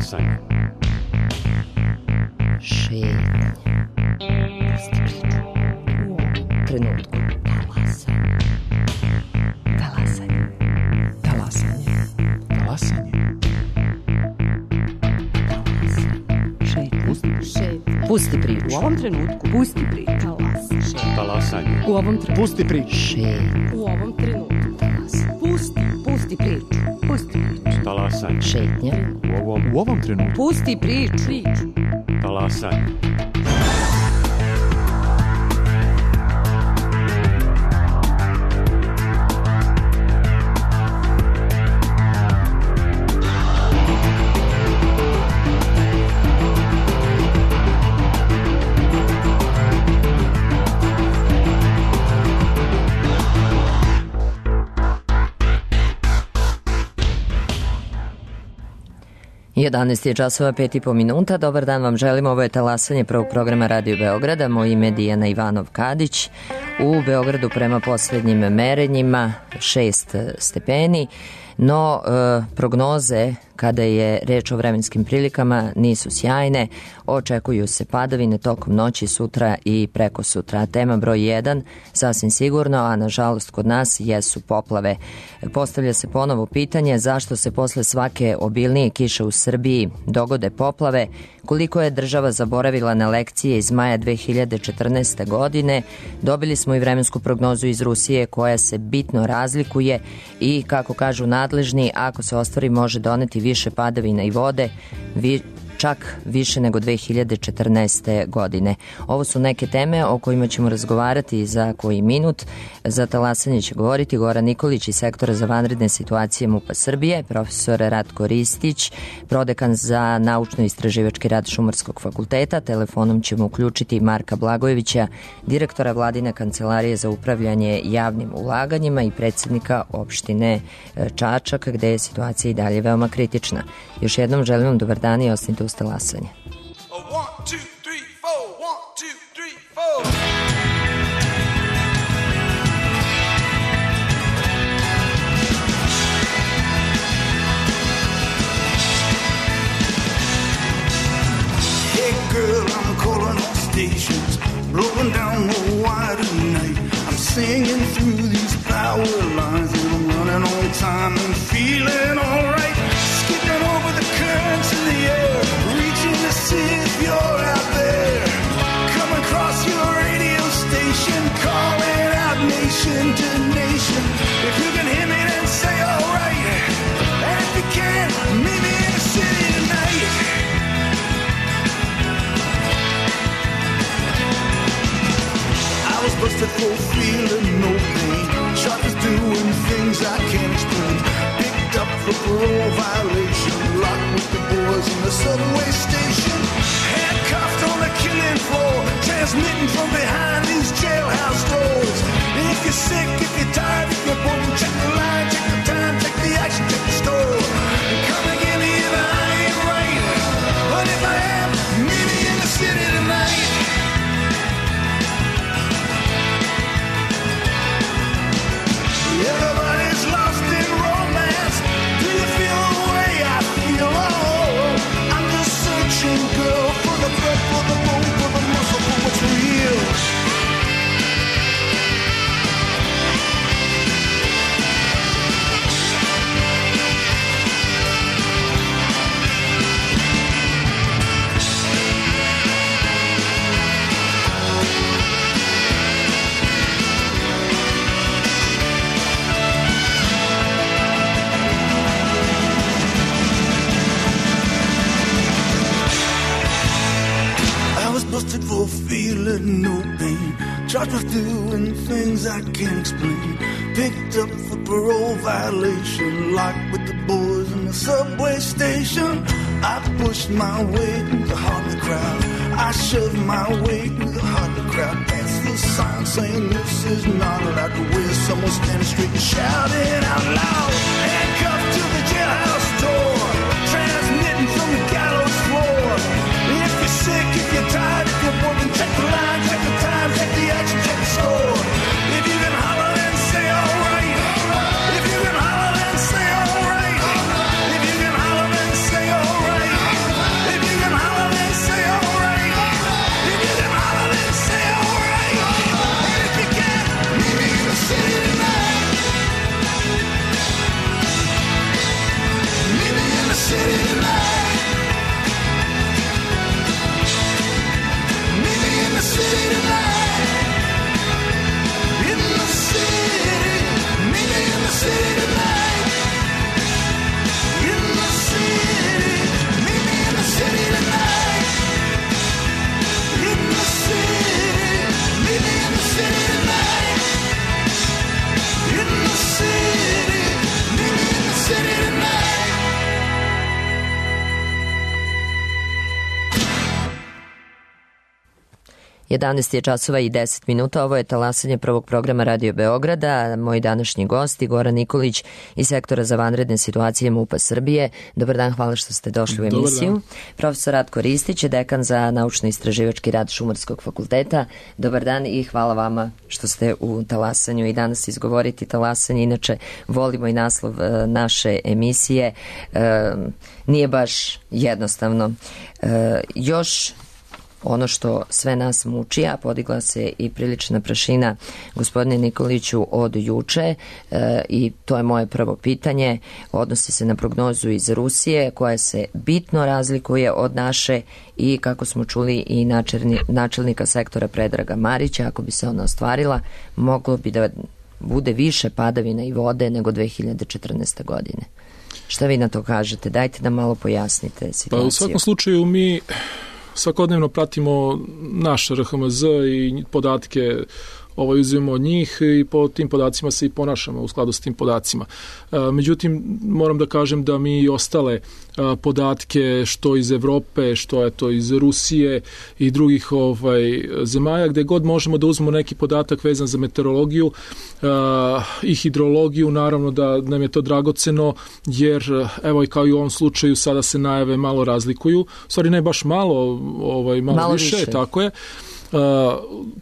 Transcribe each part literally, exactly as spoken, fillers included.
Talasanje. Šetnje. Pusti priču. U ovom trenutku. Talasanje. Talasanje. Talasanje. Talasanje. Šetnje. Pusti priču. U ovom trenutku. Pusti priču. Talasanje. U ovom trenutku. Pusti priču. Šetnje. U ovom trenutku. Pusti. Pusti priču. Pusti priču. Talasanje. Šetnje. U ovom, U ovom trenutku. Pusti priču. Priču. talasanje. jedanaest je časova, pet i po minuta. Dobar dan vam želimo. Ovo je talasanje prvog programa Radio Beograda. Moje ime je Dijana Ivanov-Kadić. U Beogradu prema poslednjim merenjima šest stepeni, no e, prognoze kada je reč o vremenskim prilikama nisu sjajne. Očekuju se padavine tokom noći, sutra i preko sutra. Tema broj jedan, sasvim sigurno, a nažalost kod nas jesu poplave. Postavlja se ponovo pitanje zašto se posle svake obilnije kiše u Srbiji dogode poplave, koliko je država zaboravila na lekcije iz maja dve hiljade četrnaeste. godine. Dobili smo i vremensku prognozu iz Rusije koja se bitno razlikuje i, kako kažu nadležni, ako se ostvari može doneti više padavina i vode, vi, čak više nego dve hiljade četrnaeste. godine. Ovo su neke teme o kojima ćemo razgovarati za koji minut. Za talasanje će govoriti Goran Nikolić iz sektora za vanredne situacije MUP-a Srbije, profesor Ratko Ristić, prodekan za naučno-istraživački rad Šumarskog fakulteta. Telefonom ćemo uključiti Marka Blagojevića, direktora Vladine kancelarije za upravljanje javnim ulaganjima i predsjednika opštine Čačak, gde je situacija i dalje veoma kritična. Još jednom želim vam dobar dan i ostanite uz talasanje. One, two, three, four. One, two, three, four. Hey girl, I'm calling all stations, blowing down the wire tonight. I'm singing through these power lines and I'm running on time and feeling alright. Skipping over the currents in the air, reaching to see if you're out there. Come across your radio station, calling out nation to nation. If you can hear me, then say alright. And if you can't, meet me in the city tonight. I was busted for feeling no pain, shot is doing things I can't explain. Picked up for parole violation, locked with the boys in the subway station. Handcuffed on the killing floor, transmitting from behind these jailhouse doors. If you're sick, if you're tired, if you're bored, check the line, check the time, check the action, check the score. And come and get me if I ain't right, but if I am, meet me in the city tonight. Everybody's lost in romance. Do you feel the way I feel? Oh, I'm just searching, girl, for the breath, for the bone, for the muscle, for what's real. Busted for feeling no pain, charged with doing things I can't explain. Picked up for parole violation, locked with the boys in the subway station. I pushed my way through the heart of the crowd, I shoved my way through the heart of the crowd. Past the sign saying this is not allowed to wear. Someone standing straight and shouting out loud. Handcuffed to the jailhouse door, transmitting from the gallows floor. If you're sick, if you're tired, if you're bored, then check the line, check the time, check the action, check the score. If you can holler, then say alright. If you can holler, then say alright. If you can holler, then say alright. jedanaest je časova i deset minuta, ovo je talasanje prvog programa Radio Beograda. Moj današnji gost Goran Nikolić iz sektora za vanredne situacije MUP-a Srbije. Dobar dan, hvala što ste došli u emisiju. Profesor Ratko Ristić je dekan za naučno-istraživački rad Šumarskog fakulteta. Dobar dan i hvala vama što ste u talasanju i danas izgovoriti talasanje. Inače, volimo i naslov naše emisije. E, nije baš jednostavno. E, još ono što sve nas muči, a podigla se i prilična prašina, gospodine Nikoliću, od juče, e, i to je moje prvo pitanje, odnosi se na prognozu iz Rusije koja se bitno razlikuje od naše i, kako smo čuli, i načelni, načelnika sektora Predraga Marića. Ako bi se ona ostvarila, moglo bi da bude više padavina i vode nego dve hiljade četrnaeste. godine. Šta vi na to kažete? Dajte da malo pojasnite situaciju. Pa u svakom slučaju mi svakodnevno pratimo naš R H M Z i podatke ovaj, uzimamo od njih i po tim podacima se i ponašamo u skladu s tim podacima. Međutim, moram da kažem da mi i ostale podatke što iz Evrope, što je to iz Rusije i drugih ovaj, zemalja, gde god možemo da uzmemo neki podatak vezan za meteorologiju i hidrologiju, naravno da nam je to dragoceno, jer evo i kao i u ovom slučaju sada se najave malo razlikuju, u stvari ne baš malo, ovaj, malo, malo više, više, tako je. Uh,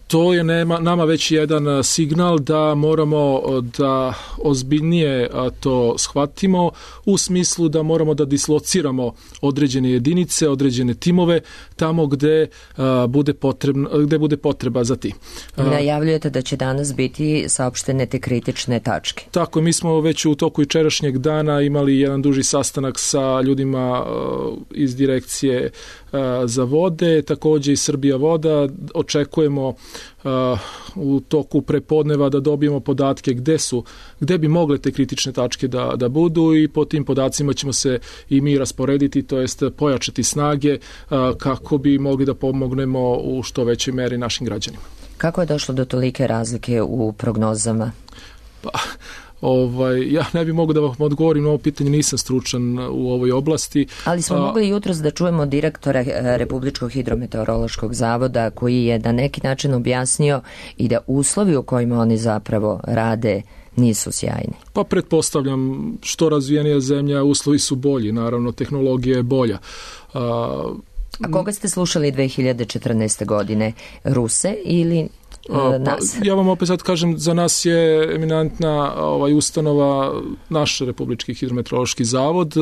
to je nema, nama već jedan signal da moramo da ozbiljnije to shvatimo, u smislu da moramo da dislociramo određene jedinice, određene timove tamo gde, uh, bude, potrebno, gde bude potreba za ti. Uh, Najavljujete da će danas biti saopštene te kritične tačke. Tako, mi smo već u toku jučerašnjeg dana imali jedan duži sastanak sa ljudima uh, iz direkcije uh, za vode, takođe i Srbija voda. Očekujemo uh, u toku prepodneva da dobijemo podatke gde su, gde bi mogle te kritične tačke da, da budu, i po tim podacima ćemo se i mi rasporediti, to jest pojačati snage uh, kako bi mogli da pomognemo u što većoj meri našim građanima. Kako je došlo do tolike razlike u prognozama? Pa, Ovaj, ja ne bih mogu da vam odgovorim na ovo pitanje, nisam stručan u ovoj oblasti. Ali smo A, mogli jutros da čujemo direktora Republičkog hidrometeorološkog zavoda koji je na neki način objasnio i da uslovi u kojima oni zapravo rade nisu sjajni. Pa pretpostavljam, što razvijenija zemlja, uslovi su bolji, naravno tehnologija je bolja. A, A koga ste slušali dve hiljade četrnaeste. godine? Ruse ili nas? Pa, ja vam opet sad kažem, za nas je eminentna ovaj, ustanova naš Republički hidrometeorološki zavod,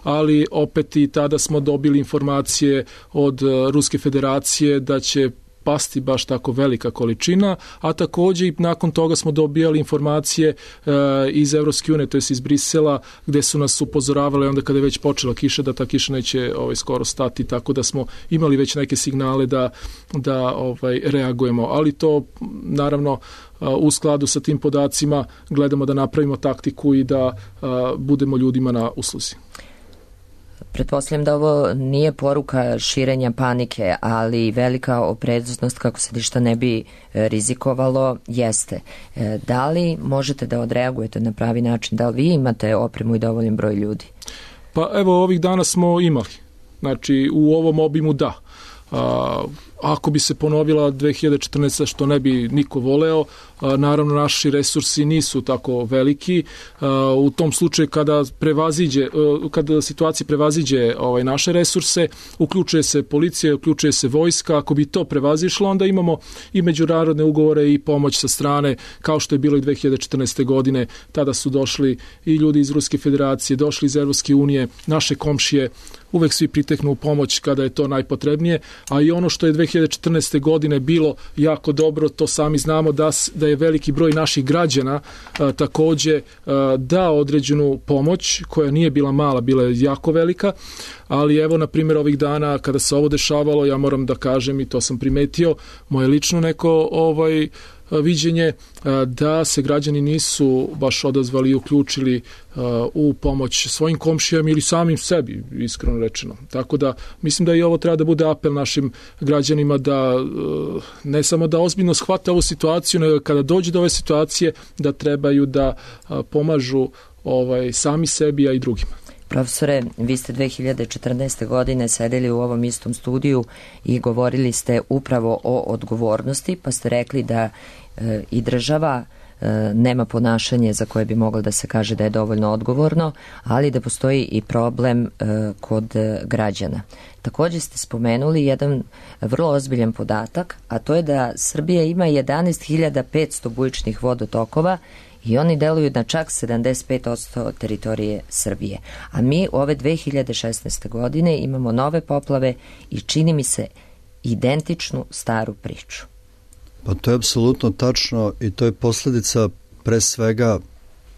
ali opet i tada smo dobili informacije od Ruske federacije da će pasti baš tako velika količina, a takođe i nakon toga smo dobijali informacije e, iz Evropske unije, to je iz Brisela, gde su nas upozoravali onda kada je već počela kiša, da ta kiša neće ovaj, skoro stati, tako da smo imali već neke signale da, da ovaj, reagujemo, ali to naravno u skladu sa tim podacima gledamo da napravimo taktiku i da a, budemo ljudima na usluzi. Pretpostavljam da ovo nije poruka širenja panike, ali velika opreznost kako se ništa ne bi rizikovalo jeste. Da li možete da odreagujete na pravi način? Da li vi imate opremu i dovoljan broj ljudi? Pa evo, ovih dana smo imali. Znači, u ovom obimu da. A, ako bi se ponovila dve hiljade četrnaeste. što ne bi niko voleo, a, naravno naši resursi nisu tako veliki. A, u tom slučaju kada prevaziđe, a, kada situacija prevaziđe ovaj, naše resurse, uključuje se policija, uključuje se vojska. Ako bi to prevazišlo, onda imamo i međunarodne ugovore i pomoć sa strane, kao što je bilo i dve hiljade četrnaeste. godine. Tada su došli i ljudi iz Ruske federacije, došli iz Evropske unije, naše komšije, uvek svi priteknu u pomoć kada je to najpotrebnije, a i ono što je dve hiljade četrnaeste. godine bilo jako dobro, to sami znamo da, da je veliki broj naših građana a, takođe a, dao određenu pomoć, koja nije bila mala, bila je jako velika, ali evo, na primjer, ovih dana kada se ovo dešavalo, ja moram da kažem, i to sam primetio, moje lično neko ovaj viđenje, da se građani nisu baš odazvali i uključili u pomoć svojim komšijama ili samim sebi, iskreno rečeno. Tako da mislim da i ovo treba da bude apel našim građanima da ne samo da ozbiljno shvate ovu situaciju, nego kada dođe do ove situacije da trebaju da pomažu ovaj, sami sebi, a i drugima. Profesore, vi ste dve hiljade četrnaeste. godine sedeli u ovom istom studiju i govorili ste upravo o odgovornosti, pa ste rekli da e, i država e, nema ponašanje za koje bi moglo da se kaže da je dovoljno odgovorno, ali da postoji i problem e, kod e, građana. Također ste spomenuli jedan vrlo ozbiljan podatak, a to je da Srbija ima jedanaest hiljada petsto bujičnih vodotokova i oni deluju na čak sedamdeset pet posto teritorije Srbije. A mi ove dve hiljade šesnaeste. godine imamo nove poplave i čini mi se identičnu staru priču. Pa to je apsolutno tačno i to je posljedica pre svega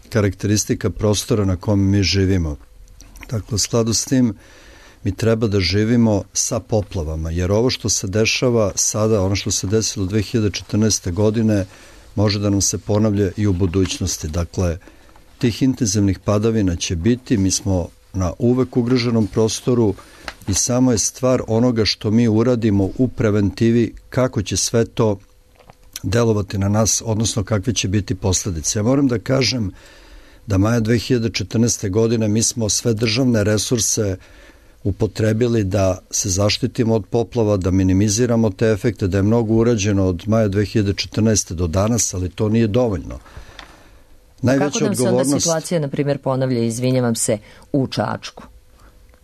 karakteristika prostora na kome mi živimo. Dakle, u skladu s tim mi treba da živimo sa poplavama, jer ovo što se dešava sada, ono što se desilo dve hiljade četrnaeste. godine, može da nam se ponavlja i u budućnosti. Dakle, tih intenzivnih padavina će biti, mi smo na uvek ugroženom prostoru i samo je stvar onoga što mi uradimo u preventivi, kako će sve to delovati na nas, odnosno kakve će biti posljedice. Ja moram da kažem da maja dve hiljade četrnaeste. godine mi smo sve državne resurse upotrebili da se zaštitimo od poplava, da minimiziramo te efekte, da je mnogo urađeno od maja dve hiljade četrnaeste. do danas, ali to nije dovoljno. Najveća Kako nam se odgovornost... onda situacija, na primjer, ponavlja, izvinjavam se, u Čačku,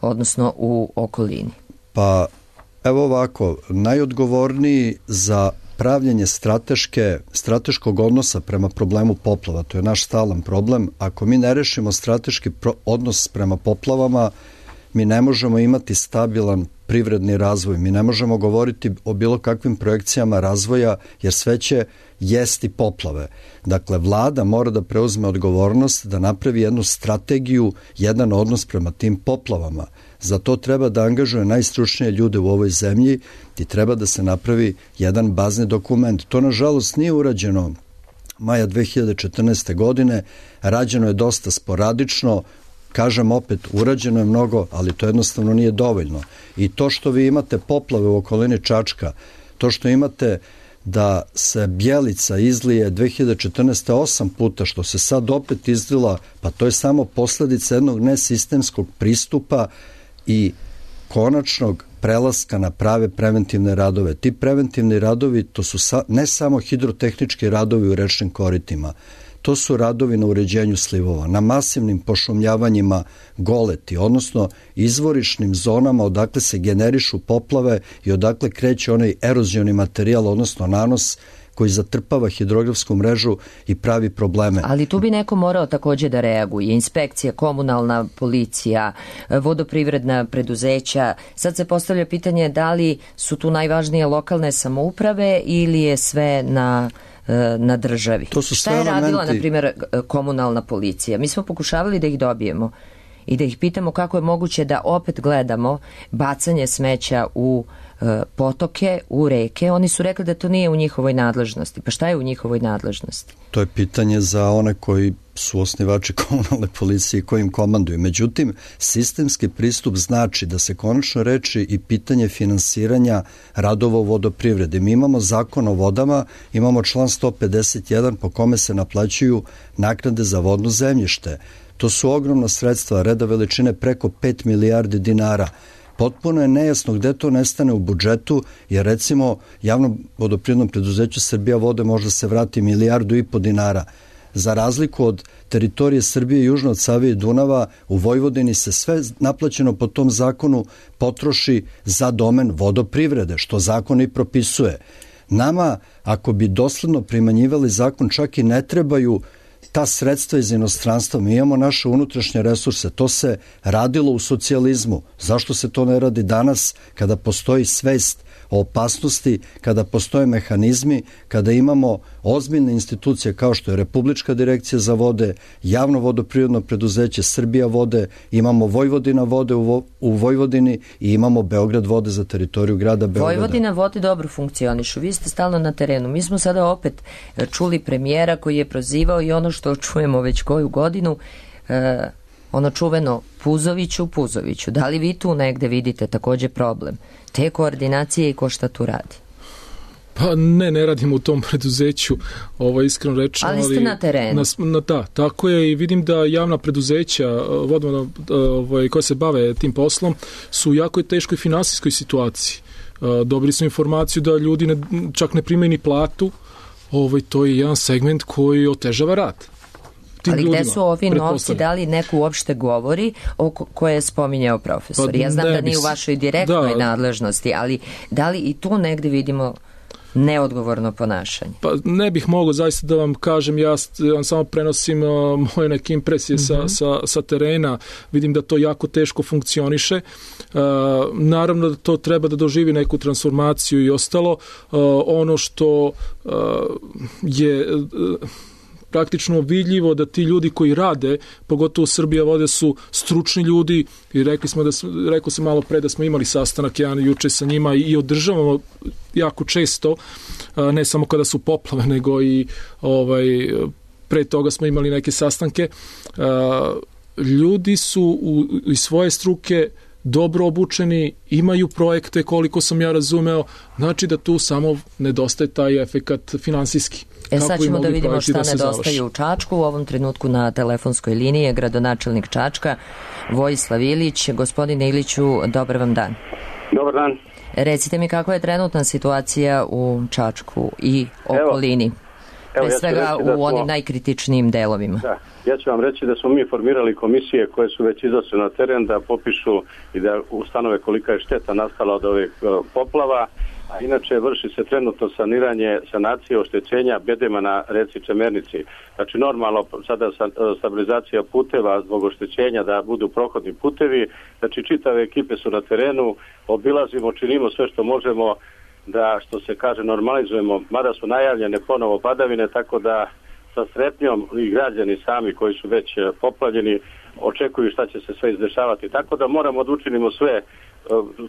odnosno u okolini? Pa, evo ovako, najodgovorniji za pravljenje strateške, strateškog odnosa prema problemu poplava, to je naš stalan problem. Ako mi ne rešimo strateški pro- odnos prema poplavama, mi ne možemo imati stabilan privredni razvoj, mi ne možemo govoriti o bilo kakvim projekcijama razvoja, jer sve će jesti poplave. Dakle, vlada mora da preuzme odgovornost, da napravi jednu strategiju, jedan odnos prema tim poplavama. Za to treba da angažuje najstručnije ljude u ovoj zemlji i treba da se napravi jedan bazni dokument. To, nažalost, nije urađeno maja dve hiljade četrnaeste. godine, rađeno je dosta sporadično. Kažem opet, urađeno je mnogo, ali to jednostavno nije dovoljno. I to što vi imate poplave u okolini Čačka, to što imate da se Bjelica izlije dve hiljade četrnaeste. osam puta, što se sad opet izlila, pa to je samo posljedica jednog nesistemskog pristupa i konačnog prelaska na prave preventivne radove. Ti preventivni radovi, to su sa, ne samo hidrotehnički radovi u rečnim koritima, to su radovi na uređenju slivova, na masivnim pošumljavanjima goleti, odnosno izvorišnim zonama odakle se generišu poplave i odakle kreće onaj erozioni materijal, odnosno nanos koji zatrpava hidrografsku mrežu i pravi probleme. Ali tu bi neko morao također da reaguje. Inspekcija, komunalna policija, vodoprivredna preduzeća. Sad se postavlja pitanje da li su tu najvažnije lokalne samouprave ili je sve na... na državi. To su Šta je elementi... radila, na primjer, komunalna policija? Mi smo pokušavali da ih dobijemo i da ih pitamo kako je moguće da opet gledamo bacanje smeća u e, potoke, u reke. Oni su rekli da to nije u njihovoj nadležnosti. Pa šta je u njihovoj nadležnosti? To je pitanje za one koji su osnivači komunalne policije i koji im komanduju. Međutim, sistemski pristup znači da se konačno reči i pitanje finansiranja radova u vodoprivredi. Mi imamo zakon o vodama, imamo član sto pedeset jedan po kome se naplaćuju naknade za vodno zemljište. To su ogromna sredstva, reda veličine preko pet milijardi dinara. Potpuno je nejasno gde to nestane u budžetu, jer recimo javnom vodoprivrednom preduzeću Srbija vode možda se vrati milijardu i po dinara. Za razliku od teritorije Srbije južno od Save i Dunava, u Vojvodini se sve naplaćeno po tom zakonu potroši za domen vodoprivrede, što zakon i propisuje. Nama, ako bi dosledno primanjivali zakon, čak i ne trebaju ta sredstva iz inostranstva. Mi imamo naše unutrašnje resurse. To se radilo u socijalizmu. Zašto se to ne radi danas kada postoji svest o opasnosti, kada postoje mehanizmi, kada imamo ozbiljne institucije kao što je Republička direkcija za vode, javno vodoprivredno preduzeće Srbija vode, imamo Vojvodina vode u, vo, u Vojvodini i imamo Beograd vode za teritoriju grada Beograda. Vojvodina vode dobro funkcionišu. Vi ste stalno na terenu. Mi smo sada opet čuli premijera koji je prozivao i ono što čujemo već koju godinu, e, ono čuveno Puzoviću, Puzoviću. Da li vi tu negde vidite također problem te koordinacije i ko šta tu radi? Pa ne, ne radim u tom preduzeću, ovo iskreno rečeno. Ali ste ali na terenu. Na, na, da, tako je i vidim da javna preduzeća vodovna, ovaj, koja se bave tim poslom su u jako teškoj finansijskoj situaciji. Dobili smo informaciju da ljudi ne, čak ne primaju ni platu, ovaj, to je jedan segment koji otežava rad. Ali ljudima, gde su ovi novci, da li neko uopšte govori o koje je spominjao profesor? Pa, ja znam da nije u vašoj direktnoj da, nadležnosti, ali da li i tu negde vidimo neodgovorno ponašanje? Pa ne bih mogao zaista da vam kažem, ja vam samo prenosim uh, moje neke impresije mm-hmm. sa, sa, sa terena, vidim da to jako teško funkcioniše, uh, naravno da to treba da doživi neku transformaciju i ostalo, uh, ono što uh, je... Uh, praktično vidljivo da ti ljudi koji rade, pogotovo Srbija vode, su stručni ljudi i rekli smo da rekao sam malo pre da smo imali sastanak jedan juče sa njima i održavamo jako često, ne samo kada su poplave, nego i ovaj pre toga smo imali neke sastanke. Ljudi su u, iz svoje struke dobro obučeni, imaju projekte koliko sam ja razumeo, znači da tu samo nedostaje taj efekat finansijski. E sad ćemo da vidimo šta da nedostaje u Čačku. U ovom trenutku na telefonskoj liniji je gradonačelnik Čačka Vojislav Ilić. Gospodine Iliću, dobar vam dan. Dobar dan. Recite mi kakva je trenutna situacija u Čačku i okolini. Evo, pre svega ja u smo, onim najkritičnijim delovima. Da, ja ću vam reći da smo mi formirali komisije koje su već izašle na teren da popišu i da ustanove kolika je šteta nastala od ovih poplava, a inače vrši se trenutno saniranje, sanacije oštećenja bedema na reci Čemernici. Znači normalno sada stabilizacija puteva zbog oštećenja da budu prohodni putevi, znači čitave ekipe su na terenu, obilazimo, činimo sve što možemo da, što se kaže, normalizujemo, mada su najavljene ponovo padavine, tako da sa strepnjom i građani sami koji su već poplavljeni očekuju šta će se sve izdešavati. Tako da moramo da učinimo sve.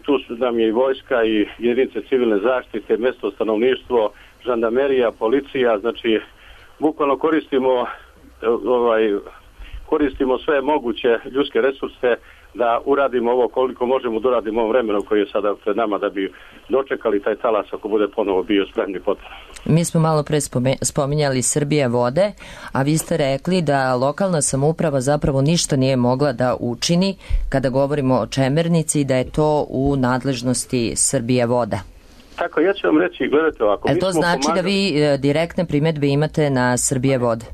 Tu su nam je i vojska i jedinice civilne zaštite, mesto stanovništvo, žandarmerija, policija, znači bukvalno koristimo ovaj, koristimo sve moguće ljudske resurse da uradimo ovo koliko možemo da uradimo ovom vremenu koji je sada pred nama da bi dočekali taj talas ako bude ponovo bio spremni potpuno. Mi smo malo pre spominjali Srbije vode, a vi ste rekli da lokalna samouprava zapravo ništa nije mogla da učini kada govorimo o Čemernici i da je to u nadležnosti Srbije voda. Tako, ja ću vam reći, gledajte ovako. E to znači pomagali... da vi direktne primedbe imate na Srbije vode?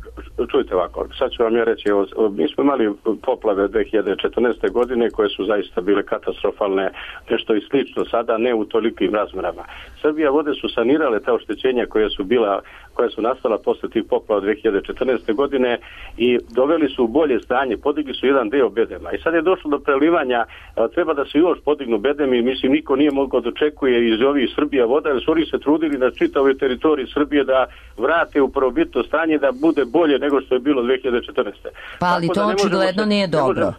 Čujte ovako, sad ću vam ja reći, evo, mi smo imali poplave dve hiljade četrnaeste. godine koje su zaista bile katastrofalne, nešto i slično, sada ne u tolikim razmerama. Srbija vode su sanirale ta oštećenja koja su bila, koja su nastala posle tih poplava dve hiljade četrnaeste. godine i doveli su u bolje stanje, podigli su jedan deo bedema. I sad je došlo do prelivanja, treba da se još podignu bedemi, mislim niko nije mogao da očekuje iz ovih Srbija voda, jer su oni se trudili na čitavoj teritoriji Srbije da vrate u prvobitno stanje, da bude bolje nego što je bilo dve hiljade četrnaeste. Pa ali to očigledno nije dobro. Ne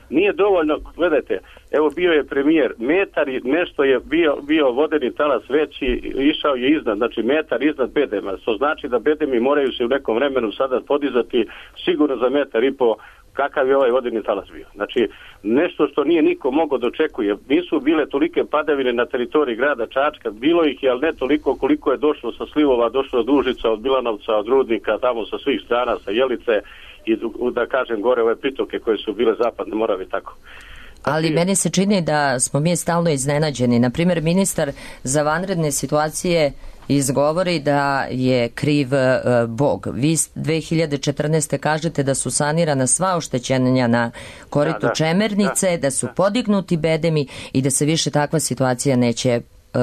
nije dovoljno, gledajte, evo bio je premijer, metar i nešto je bio, bio vodeni talas veći, išao je iznad, znači metar iznad bedema, što znači da bedemi moraju se u nekom vremenu sada podizati sigurno za metar i po kakav je ovaj vodeni talas bio. Znači, nešto što nije niko mogao da očekuje. Nisu bile tolike padavine na teritoriji grada Čačka, bilo ih je, ali ne toliko koliko je došlo sa slivova, došlo od Užica, od Bilanovca, od Rudnika, tamo sa svih strana, sa Jelice i da kažem gore ove pritoke koje su bile zapadne Morave tako. Ali meni se čini da smo mi stalno iznenađeni. Naprimjer, ministar za vanredne situacije izgovori da je kriv uh, Bog. Vi dve hiljade četrnaeste. kažete da su sanirana sva oštećenja na koritu da, da, Čemernice, da. da su podignuti bedemi i da se više takva situacija neće uh,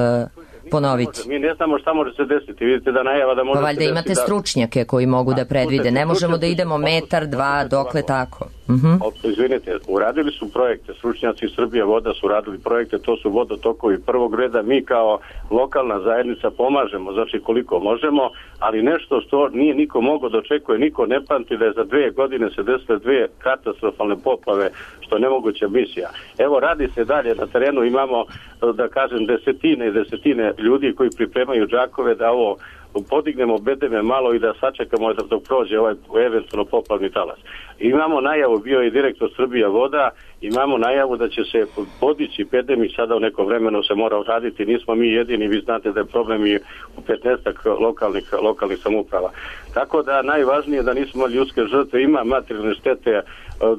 ponoviti. Mi ne znamo šta može se desiti. Vidite da najava da može pa, se desiti. Valjda imate stručnjake koji mogu da predvide. Ne možemo da idemo metar, dva, dokle tako. Uh-huh. Izvinite, uradili su projekte, stručnjaci Srbije voda su radili projekte, to su vodotokovi prvog reda, mi kao lokalna zajednica pomažemo, znači koliko možemo, ali nešto što nije niko mogao da očekuje, niko ne pamti da je za dve godine se desile dve katastrofalne poplave, što je nemoguća misija. Evo, radi se dalje, na terenu imamo, da kažem, desetine i desetine ljudi koji pripremaju džakove da ovo podignemo bedeme malo i da sačekamo dok prođe ovaj eventualno poplavni talas. Imamo najavu, bio je direktor Srbija voda, imamo najavu da će se podići bedem i sada u nekom vremenu se mora raditi. Nismo mi jedini, vi znate da je problem i u petnaestak lokalnih, lokalnih samouprava. Tako da najvažnije da nismo ljudske žrtve, ima materijalne štete,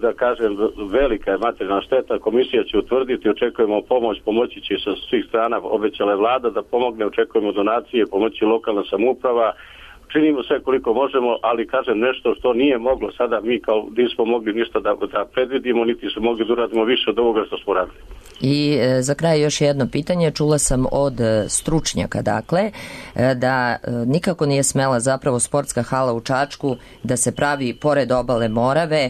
da kažem, velika je materijalna šteta, komisija će utvrditi, očekujemo pomoć, pomoći će sa svih strana, obećala je vlada da pomogne, očekujemo donacije, pomoći lokalna samouprava, činimo sve koliko možemo, ali kažem nešto što nije moglo sada, mi kao nismo mogli ništa da, da predvidimo, niti smo mogli da uradimo više od ovoga što smo radili. I e, za kraj još jedno pitanje, čula sam od e, stručnjaka, dakle, e, da e, nikako nije smela zapravo sportska hala u Čačku da se pravi pored obale Morave e,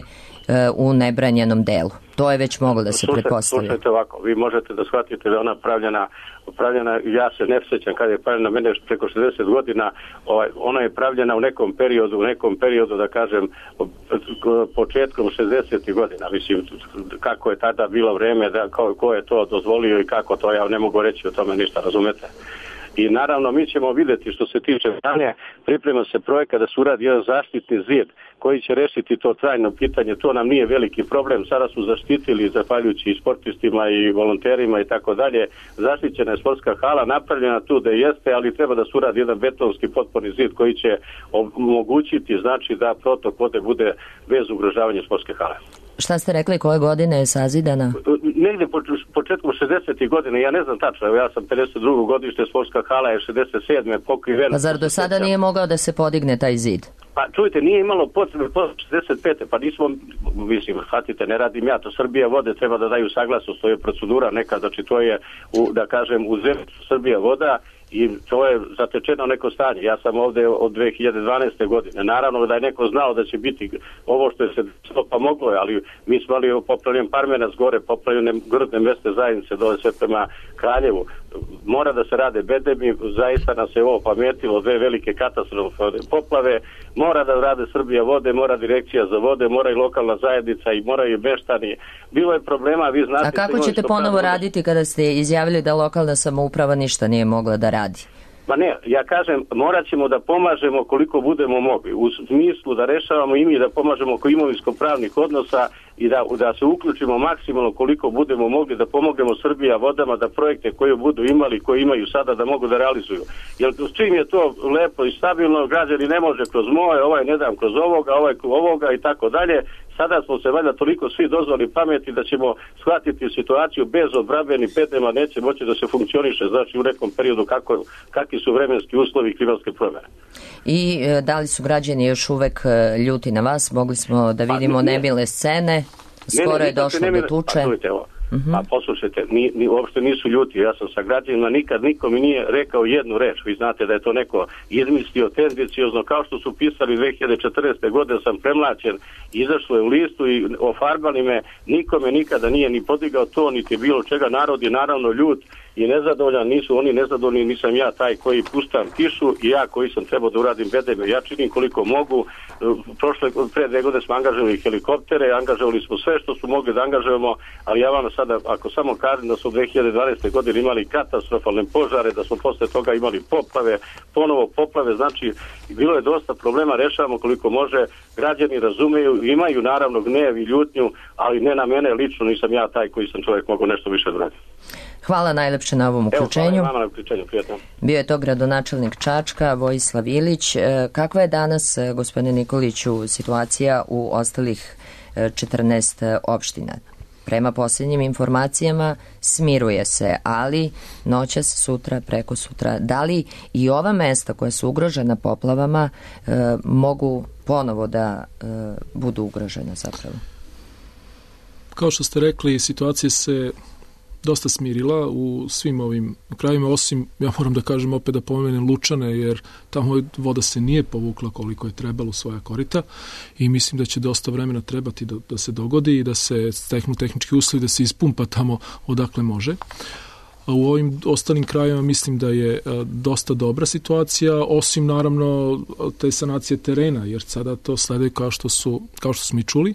u nebranjenom delu. To je već moglo da se Slušajte, pretpostavlja. Slušajte ovako, vi možete da shvatite da je ona pravljena, pravljena, ja se ne sjećam kada je pravljena, mene preko šezdeset godina, ovaj, ona je pravljena u nekom periodu, u nekom periodu, da kažem, početkom šezdesetih godina, mislim, kako je tada bilo vreme, da, ko, ko je to dozvolio i kako to, ja ne mogu reći o tome ništa, razumete? I naravno mi ćemo vidjeti što se tiče stanja, priprema se projekat da se uradi jedan zaštitni zid koji će rešiti to trajno pitanje, to nam nije veliki problem, sada su zaštitili zahvaljujući i sportistima i volonterima i tako dalje, zaštićena je sportska hala, napravljena tu da jeste, ali treba da se uradi jedan betonski potporni zid koji će omogućiti, znači da protok vode bude bez ugrožavanja sportske hale. Šta ste rekli, koje godine je sazidana? Negde po, početkom šezdesetih godina, ja ne znam tačno, ja sam pedeset drugo godište, sportska hala je šezdeset sedme pokrivena. Pa zar do sada nije mogao da se podigne taj zid? Pa čujte, nije imalo potrebe po šezdeset pete pa nismo, mislim, shvatite, ne radim ja, to Srbija vode treba da daju saglasnost, to je procedura neka, znači to je, u, da kažem, u zemlju Srbija voda, i to je zatečeno neko stanje. Ja sam ovde od dve hiljade dvanaeste godine. Naravno da je neko znao da će biti ovo što je se pa moglo je, ali mi smo imali poplavljen Parmenac gore, poplavljene grdne meste zajednice dole sve prema Kraljevu. Mora da se rade bedemi, zaista nam se ovo pametilo, dve velike katastrofalne poplave, mora da rade Srbija vode, mora direkcija za vode, mora i lokalna zajednica i moraju i meštani. Bilo je problema, vi znate... A kako ćete ponovo raditi kada ste izjavili da lokalna samouprava ništa nije mogla da radi? Ma ne, ja kažem, morat ćemo da pomažemo koliko budemo mogli, u smislu da rešavamo i mi da pomažemo oko imovinsko-pravnih odnosa i da, da se uključimo maksimalno koliko budemo mogli, da pomognemo Srbija vodama, da projekte koje budu imali, koje imaju sada, da mogu da realizuju. Jer s čim je to lepo i stabilno, građani ne može kroz moje, ovaj ne dam kroz ovoga, ovaj kroz ovoga i tako dalje. Sada smo se valjda toliko svi dozvali pameti da ćemo shvatiti situaciju bez odbrambenih bedema, neće moći da se funkcioniše, znači u nekom periodu kako, kakvi su vremenski uslovi i klimatske promjene. I e, da li su građani još uvek e, ljuti na vas? Mogli smo da vidimo pa, nemile scene, skoro ne, ne, je došlo nemile, do tuče. Pa, čujte, ovo. Uh-huh. Pa poslušajte, ni, ni, uopšte nisu ljuti, ja sam sa građanima, nikad niko mi nije rekao jednu reč, vi znate da je to neko izmislio tendenciozno, kao što su pisali dve hiljade četrnaeste godine, sam premlaćen, izašlo je u listu i ofarbali me, nikome nikada nije ni podigao to, niti bilo čega, narod je naravno ljut i nezadovoljan, nisu oni nezadovoljni, nisam ja taj koji puštam kišu i ja koji sam trebao da uradim bedeme, ja činim koliko mogu, prošle, pre dve godine smo angažovali helikoptere, angažovali smo sve što smo mogli da angažujemo, ali ja vam sada, ako samo kažem da su dve hiljade dvanaeste godine imali katastrofalne požare, da smo posle toga imali poplave, ponovo poplave, znači bilo je dosta problema, rešavamo koliko može, građani razumeju, imaju naravno gnev i ljutnju, ali ne na mene lično, nisam ja taj koji sam čovjek mogu nešto više da radi. Hvala najlepše na ovom uključenju. Evo, hvala na uključenju, prijatno. Bio je to gradonačelnik Čačka, Vojislav Ilić. Kakva je danas, gospodine Nikoliću, situacija u ostalih četrnaest opština? Prema posljednjim informacijama smiruje se, ali noćas, sutra, preko sutra. Da li i ova mesta koja su ugrožena poplavama e, mogu ponovo da e, budu ugrožena zapravo? Kao što ste rekli, situacija se dosta smirila u svim ovim krajima, osim, ja moram da kažem opet da pomenem Lučane, jer tamo voda se nije povukla koliko je trebalo u svoja korita i mislim da će dosta vremena trebati da, da se dogodi i da se steknu tehnički uslovi, da se ispumpa tamo odakle može. A u ovim ostalim krajima mislim da je a, dosta dobra situacija, osim naravno te sanacije terena, jer sada to slede kao što su, kao što smo i čuli.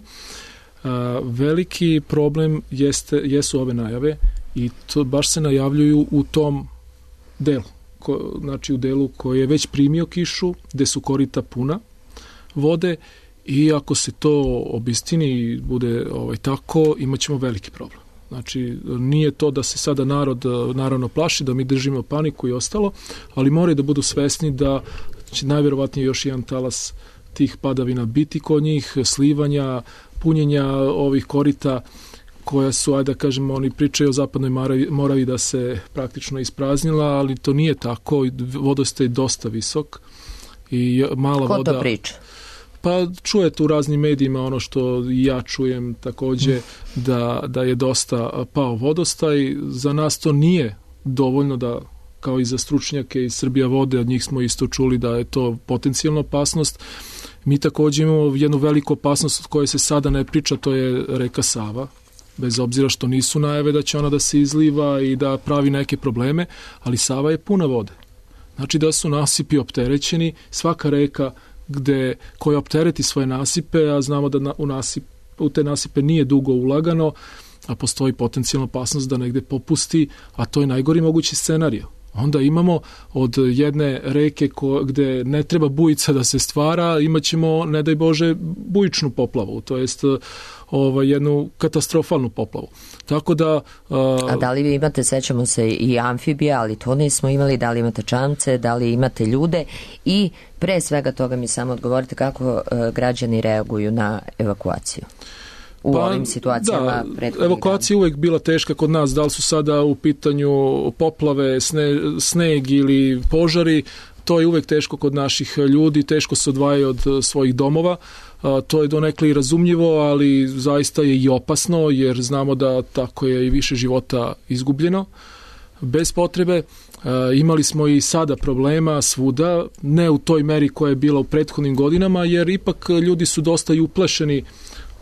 A, veliki problem jeste, jesu ove najave i to baš se najavljuju u tom delu, ko, znači u delu koji je već primio kišu, gde su korita puna vode I ako se to obistini i bude ovaj, tako, imat ćemo veliki problem. Znači, nije to da se sada narod naravno plaši, da mi držimo paniku i ostalo, ali moraju da budu svesni da će najvjerovatnije još jedan talas tih padavina biti kod njih, slivanja, punjenja ovih korita koja su, ajde da kažemo, oni pričaju o zapadnoj Moravi, Moravi da se praktično ispraznila, ali to nije tako, vodostaj je dosta visok i mala Ko voda... to priča? Pa čujete u raznim medijima ono što ja čujem takođe da, da je dosta pao vodostaj. Za nas to nije dovoljno da, kao i za stručnjake iz Srbija vode, od njih smo isto čuli da je to potencijalna opasnost. Mi takođe imamo jednu veliku opasnost od koje se sada ne priča, to je reka Sava. Bez obzira što nisu najave da će ona da se izliva i da pravi neke probleme, ali Sava je puna vode. Znači da su nasipi opterećeni, svaka reka gde, koja optereti svoje nasipe, a znamo da na, u, nasip, u te nasipe nije dugo ulagano, a postoji potencijalna opasnost da negde popusti, a to je najgori mogući scenario. Onda imamo od jedne reke ko, gde ne treba bujica da se stvara, imat ćemo, ne daj Bože, bujičnu poplavu, to jest ovaj, jednu katastrofalnu poplavu. Tako da... A, a da li vi imate, sećamo se, i amfibija, ali to nismo imali, da li imate čamce, da li imate ljude i pre svega toga mi samo odgovorite kako uh, građani reaguju na evakuaciju u pa, ovim situacijama. Da, evakuacija je uvek bila teška kod nas, da li su sada u pitanju poplave, sne, sneg ili požari, to je uvek teško kod naših ljudi, teško se odvajaju od svojih domova. A, to je donekle i razumljivo, ali zaista je i opasno, jer znamo da tako je i više života izgubljeno. Bez potrebe. A, imali smo i sada problema svuda, ne u toj meri koja je bila u prethodnim godinama, jer ipak ljudi su dosta i uplašeni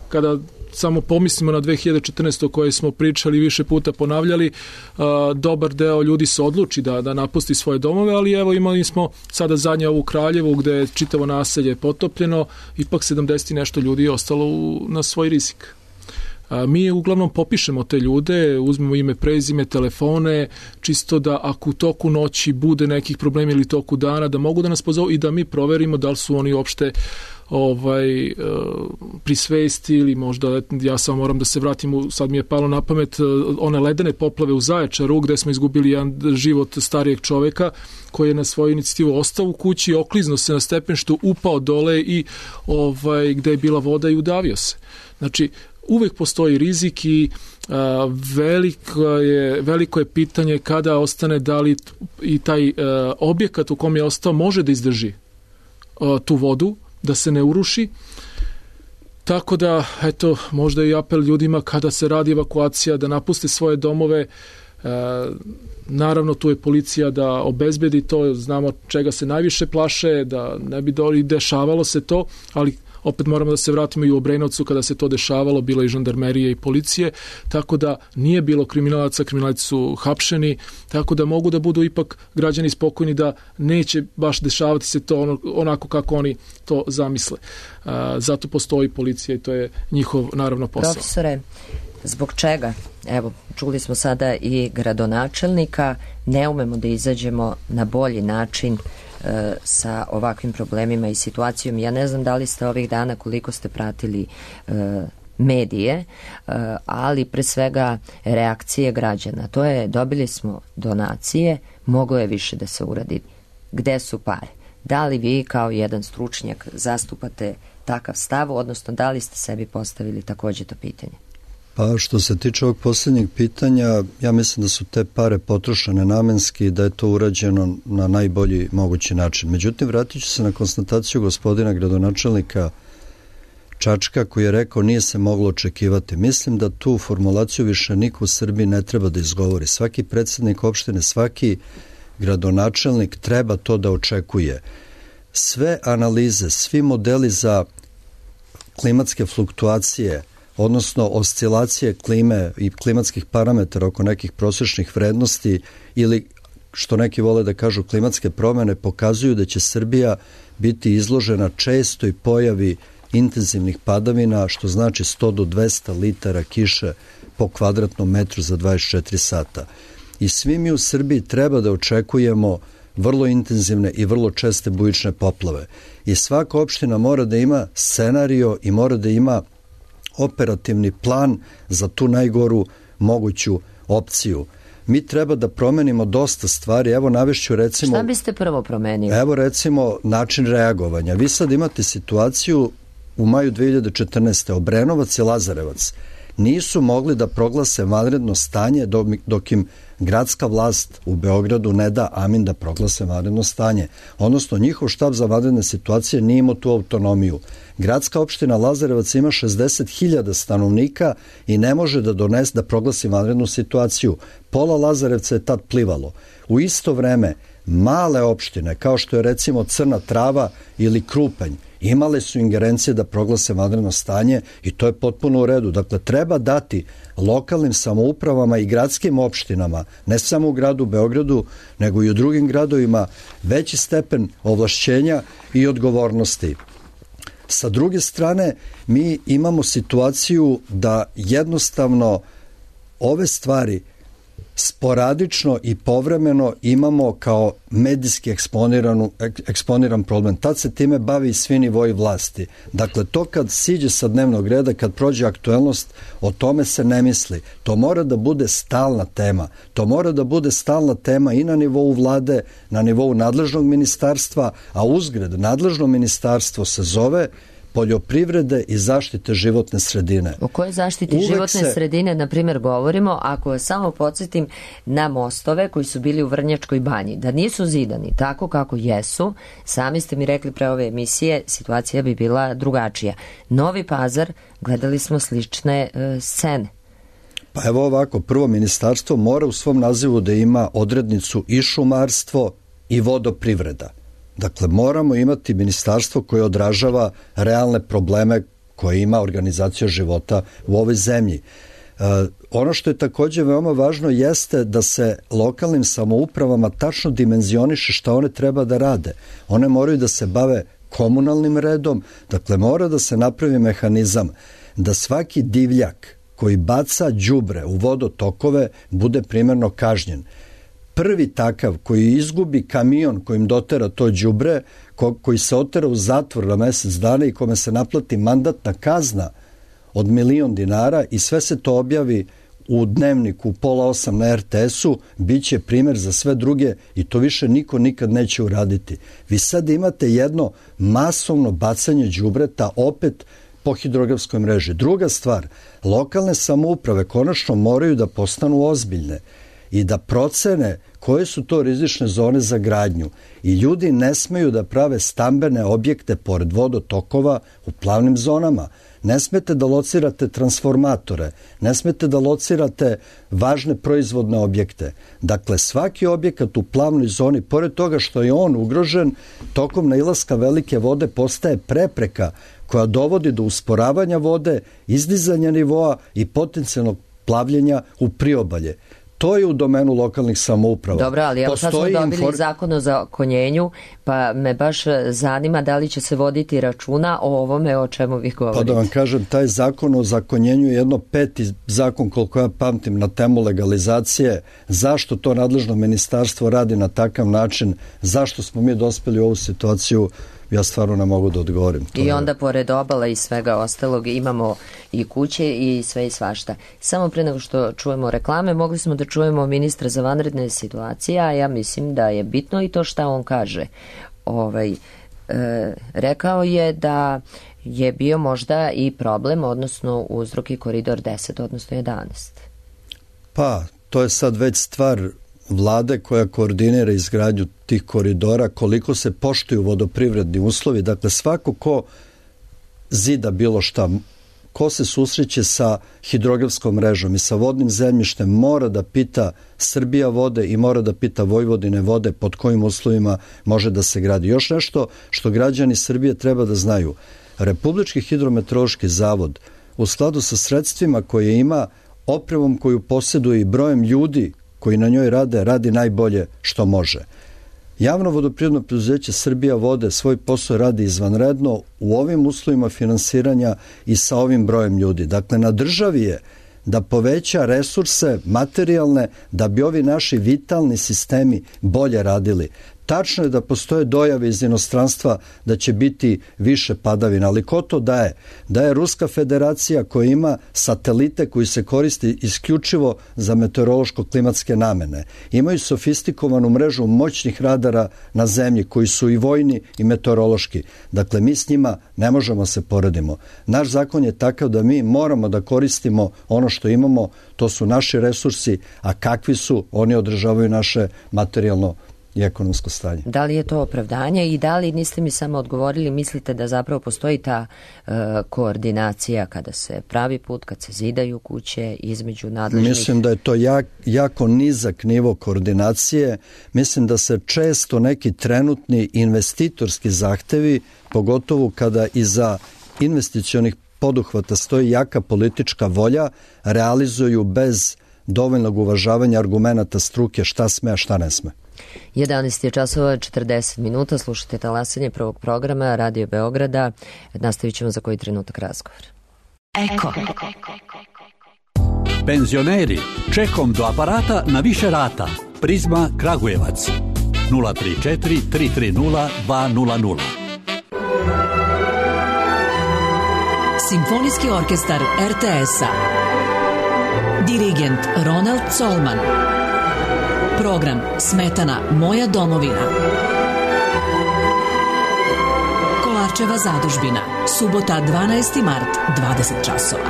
kada samo pomislimo na dve hiljade četrnaestu o kojoj smo pričali više puta ponavljali, a, dobar deo ljudi se odluči da, da napusti svoje domove, ali evo imali smo sada zadnje ovu Kraljevu gde je čitavo naselje potopljeno, ipak sedamdeset i nešto ljudi je ostalo u, na svoj rizik. A, mi uglavnom popišemo te ljude, uzmemo ime, prezime, telefone, čisto da ako u toku noći bude nekih problema ili toku dana, da mogu da nas pozovu i da mi proverimo da li su oni uopšte ovaj, pri svesti ili možda, ja samo moram da se vratim, u, sad mi je palo na pamet one ledene poplave u Zaječaru gde smo izgubili jedan život starijeg čoveka koji je na svoju inicijativu ostao u kući, okliznuo se na stepenštu, upao dole i ovaj, gde je bila voda i udavio se. Znači, uvek postoji rizik i a, veliko, je, veliko je pitanje kada ostane, da li i taj a, objekat u kom je ostao može da izdrži a, tu vodu, da se ne uruši. Tako da, eto, možda i apel ljudima kada se radi evakuacija da napuste svoje domove. E, naravno, tu je policija da obezbedi to, znamo čega se najviše plaše, da ne bi doli dešavalo se to, ali opet moramo da se vratimo i u Obrenovcu kada se to dešavalo, bilo i žandarmerije i policije, tako da nije bilo kriminalaca, kriminalci su hapšeni, tako da mogu da budu ipak građani spokojni da neće baš dešavati se to ono, onako kako oni to zamisle. A, zato postoji policija i to je njihov, naravno, posao. Profesore, zbog čega? Evo, čuli smo sada i gradonačelnika, ne umemo da izađemo na bolji način e, sa ovakvim problemima i situacijom. Ja ne znam da li ste ovih dana, koliko ste pratili e, medije, e, ali pre svega reakcije građana. To je, dobili smo donacije, moglo je više da se uradi. Gde su pare? Da li vi kao jedan stručnjak zastupate takav stav, odnosno da li ste sebi postavili takođe to pitanje? Pa što se tiče ovog posljednjeg pitanja, ja mislim da su te pare potrošene namenski i da je to urađeno na najbolji mogući način. Međutim, vratit ću se na konstataciju gospodina gradonačelnika Čačka koji je rekao nije se moglo očekivati. Mislim da tu formulaciju više niko u Srbiji ne treba da izgovori. Svaki predsjednik opštine, svaki gradonačelnik treba to da očekuje. Sve analize, svi modeli za klimatske fluktuacije, odnosno oscilacije klime i klimatskih parametara oko nekih prosječnih vrednosti ili, što neki vole da kažu, klimatske promene, pokazuju da će Srbija biti izložena čestoj pojavi intenzivnih padavina, što znači sto do dvesta litara kiše po kvadratnom metru za dvadeset četiri sata. I svi mi u Srbiji treba da očekujemo vrlo intenzivne i vrlo česte bujične poplave. I svaka opština mora da ima scenario i mora da ima operativni plan za tu najgoru moguću opciju. Mi treba da promenimo dosta stvari. Evo navešću recimo... Šta biste prvo promenili? Evo recimo način reagovanja. Vi sad imate situaciju u maju dve hiljade četrnaeste. Obrenovac i Lazarevac nisu mogli da proglase vanredno stanje dok im gradska vlast u Beogradu ne da amin da proglase vanredno stanje. Odnosno, njihov štab za vanredne situacije nije imao tu autonomiju. Gradska opština Lazarevac ima šezdeset hiljada stanovnika i ne može da donese da proglasi vanrednu situaciju. Pola Lazarevca je tad plivalo. U isto vreme, male opštine, kao što je recimo Crna Trava ili Krupanj, imale su ingerencije da proglase vanredno stanje i to je potpuno u redu. Dakle, treba dati lokalnim samoupravama i gradskim opštinama, ne samo u gradu Beogradu, nego i u drugim gradovima, veći stepen ovlašćenja i odgovornosti. Sa druge strane, mi imamo situaciju da jednostavno ove stvari sporadično i povremeno imamo kao medijski eksponiran problem. Tad se time bavi i svi nivoji vlasti. Dakle, to kad siđe sa dnevnog reda, kad prođe aktuelnost, o tome se ne misli. To mora da bude stalna tema. To mora da bude stalna tema i na nivou vlade, na nivou nadležnog ministarstva, a uzgred nadležno ministarstvo se zove poljoprivrede i zaštite životne sredine. O kojoj zaštiti Uvek životne se... sredine, na primjer, govorimo, ako samo podsjetim na mostove koji su bili u Vrnjačkoj banji, da nisu zidani tako kako jesu, sami ste mi rekli pre ove emisije, situacija bi bila drugačija. Novi Pazar, gledali smo slične e, scene. Pa evo ovako, prvo ministarstvo mora u svom nazivu da ima odrednicu i šumarstvo i vodoprivreda. Dakle, moramo imati ministarstvo koje odražava realne probleme koje ima organizacija života u ovoj zemlji. E, ono što je takođe veoma važno jeste da se lokalnim samoupravama tačno dimenzioniše šta one treba da rade. One moraju da se bave komunalnim redom, dakle mora da se napravi mehanizam da svaki divljak koji baca đubre u vodotokove bude primerno kažnjen. Prvi takav koji izgubi kamion kojim dotera to đubre, ko, koji se otera u zatvor na mesec dana i kome se naplati mandatna kazna od milion dinara i sve se to objavi u dnevniku u pola osam na er te esu, bit će primer za sve druge i to više niko nikad neće uraditi. Vi sad imate jedno masovno bacanje đubreta opet po hidrografskoj mreži. Druga stvar, lokalne samouprave konačno moraju da postanu ozbiljne i da procene koje su to rizične zone za gradnju. I ljudi ne smeju da prave stambene objekte pored vodotokova u plavnim zonama. Ne smete da locirate transformatore, ne smete da locirate važne proizvodne objekte. Dakle, svaki objekat u plavnoj zoni, pored toga što je on ugrožen, tokom nailaska velike vode postaje prepreka koja dovodi do usporavanja vode, izdizanja nivoa i potencijalnog plavljenja u priobalje. To je u domenu lokalnih samouprava. Dobro, ali evo sad smo dobili infor... zakon o zakonjenju, pa me baš zanima da li će se voditi računa o ovome o čemu vi govorite. Pa da vam kažem, taj zakon o zakonjenju je jedno peti zakon, koliko ja pamtim, na temu legalizacije. Zašto to nadležno ministarstvo radi na takav način? Zašto smo mi dospeli u ovu situaciju? Ja stvarno ne mogu da odgovorim. To I onda je... pored obala i svega ostalog imamo i kuće i sve i svašta. Samo pre nego što čujemo reklame, mogli smo da čujemo ministra za vanredne situacije, a ja mislim da je bitno i to šta on kaže. Ovaj, e, rekao je da je bio možda i problem, odnosno uzrok i koridor deset, odnosno jedanaest. Pa, to je sad već stvar vlade koja koordinira izgradnju tih koridora, koliko se poštuju vodoprivredni uslovi. Dakle, svako ko zida bilo šta, ko se susreće sa hidrografskom mrežom i sa vodnim zemljištem, mora da pita Srbija vode i mora da pita Vojvodine vode pod kojim uslovima može da se gradi. Još nešto što građani Srbije treba da znaju. Republički hidrometeorološki zavod u skladu sa sredstvima koje ima, opremom koju posjeduje i brojem ljudi koji na njoj rade, radi najbolje što može. Javno vodoprivredno preduzeće Srbija vode svoj posao radi izvanredno u ovim uslovima finansiranja i sa ovim brojem ljudi. Dakle, na državi je da poveća resurse materijalne da bi ovi naši vitalni sistemi bolje radili. Tačno je da postoje dojave iz inostranstva da će biti više padavina, ali ko to daje? Daje Ruska federacija koja ima satelite koji se koristi isključivo za meteorološko-klimatske namene. Imaju sofistikovanu mrežu moćnih radara na zemlji koji su i vojni i meteorološki. Dakle, mi s njima ne možemo se poredimo. Naš zakon je takav da mi moramo da koristimo ono što imamo, to su naši resursi, a kakvi su, oni održavaju naše materijalno i ekonomsko stanje. Da li je to opravdanje i da li, niste mi samo odgovorili, mislite da zapravo postoji ta e, koordinacija kada se pravi put, kad se zidaju kuće između nadležnih? Mislim da je to jak, jako nizak nivo koordinacije. Mislim da se često neki trenutni investitorski zahtevi, pogotovo kada iza investicionih poduhvata stoji jaka politička volja, realizuju bez dovoljnog uvažavanja argumenata struke šta sme, a šta ne sme. jedanaest je časova četrdeset minuta, slušate talasanje prvog programa Radio Beograda. Nastavit ćemo za koji trenutak razgovor. Eko. Penzioneri, čekom do aparata na više rata. Prizma Kragujevac. nula tri četiri tri tri nula dva nula nula. Simfonijski orkestar er te es-a. Dirigent Ronald Colman. Program Smetana Moja domovina. Kolarčeva zadužbina. Subota dvanaesti mart, dvadeset časova.